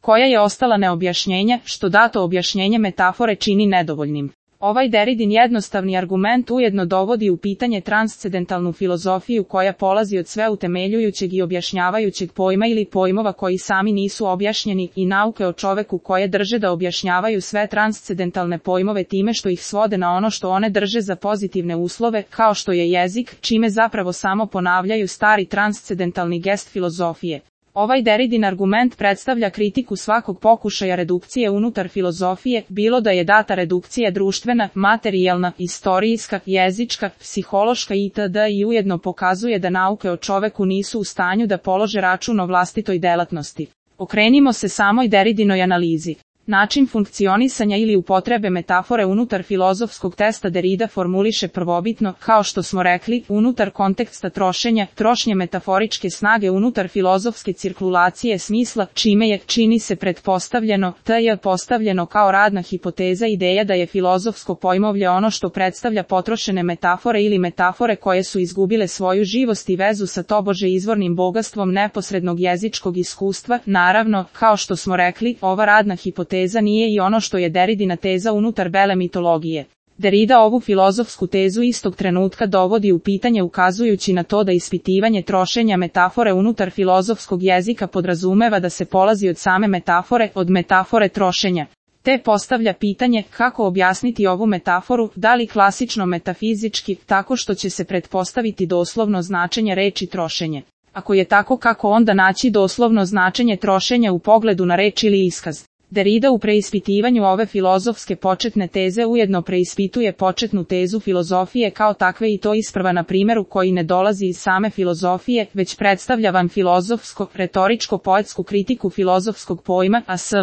koja je ostala neobjašnjenja, što dato objašnjenje metafore čini nedovoljnim. Ovaj Derridin jednostavni argument ujedno dovodi u pitanje transcendentalnu filozofiju koja polazi od sveutemeljujućeg i objašnjavajućeg pojma ili pojmova koji sami nisu objašnjeni i nauke o čoveku koje drže da objašnjavaju sve transcendentalne pojmove time što ih svode na ono što one drže za pozitivne uslove, kao što je jezik, čime zapravo samo ponavljaju stari transcendentalni gest filozofije. Ovaj Derridin argument predstavlja kritiku svakog pokušaja redukcije unutar filozofije, bilo da je data redukcija društvena, materijalna, istorijska, jezička, psihološka itd. I ujedno pokazuje da nauke o čoveku nisu u stanju da polože račun o vlastitoj delatnosti. Okrenimo se samoj Derridinoj analizi. Način funkcionisanja ili upotrebe metafore unutar filozofskog testa Derrida formuliše prvobitno, kao što smo rekli, unutar konteksta trošenja, trošnje metaforičke snage unutar filozofske cirkulacije smisla, čime je, čini se pretpostavljeno, je postavljeno kao radna hipoteza ideja da je filozofsko pojmovlje ono što predstavlja potrošene metafore ili metafore koje su izgubile svoju živost i vezu sa tobože izvornim bogatstvom neposrednog jezičkog iskustva. Naravno, kao što smo rekli, ova radna hipoteza nije i ono što je Derridina teza unutar bele mitologije. Derrida ovu filozofsku tezu istog trenutka dovodi u pitanje ukazujući na to da ispitivanje trošenja metafore unutar filozofskog jezika podrazumeva da se polazi od same metafore, od metafore trošenja. Te postavlja pitanje kako objasniti ovu metaforu, da li klasično metafizički, tako što će se pretpostaviti doslovno značenje reči trošenje. Ako je tako, kako onda naći doslovno značenje trošenja u pogledu na reč ili iskaz? Derrida u preispitivanju ove filozofske početne teze ujedno preispituje početnu tezu filozofije kao takve i to isprva na primjeru koji ne dolazi iz same filozofije, već predstavlja van filozofsko, retoričko-poetsku kritiku filozofskog pojma, a sv.